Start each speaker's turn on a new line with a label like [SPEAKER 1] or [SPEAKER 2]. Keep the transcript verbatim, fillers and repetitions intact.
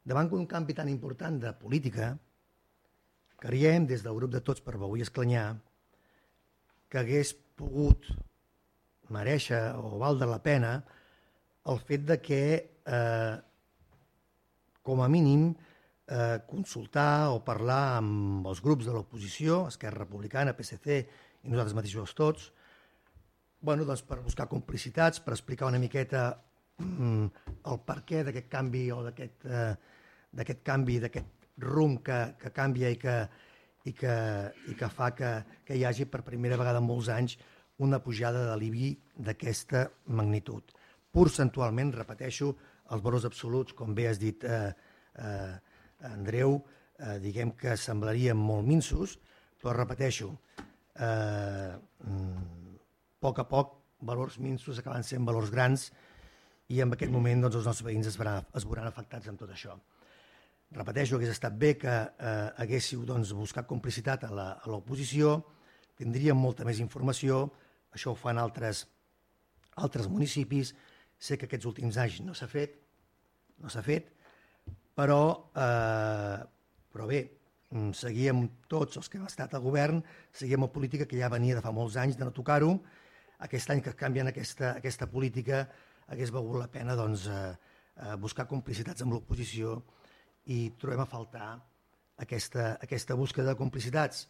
[SPEAKER 1] davant d'un canvi tan important de política, creiem des del grup de Tots per Begur i Esclanyà que hagués pogut mereixer o valdre la pena el fet de que, eh, com a mínim, eh, consultar o parlar amb els grups de l'oposició, Esquerra Republicana, P S C i nosaltres mateixos tots, bueno, doncs per buscar complicitats, per explicar una miqueta mm, el perquè d'aquest canvi o d'aquest eh, d'aquest canvi, d'aquest rumb que, que canvia i que, i que, i que fa que, que hi hagi per primera vegada en molts anys una pujada de l'I B I d'aquesta magnitud. Percentualment, repeteixo, els valors absoluts, com bé has dit eh, eh, Andreu, eh, diguem que semblarien molt minsos, però repeteixo, eh, a poc a poc valors minsos acaben sent valors grans i en aquest moment doncs, els nostres veïns es, verà, es veuran afectats amb tot això. Repeteixo, hagués estat bé que eh, haguéssiu doncs, buscat complicitat a l'oposició, tindríem molta més informació, això ho fan altres, altres municipis, sé que aquests últims anys no s'ha fet, no s'ha fet, però, eh, però bé, seguíem tots els que hem estat al govern, seguíem una política que ja venia de fa molts anys de no tocar-ho. Aquest any que canvien aquesta, aquesta política hagués valgut la pena doncs, eh, buscar complicitats amb l'oposició i trobem a faltar aquesta, aquesta búsqueda de complicitats.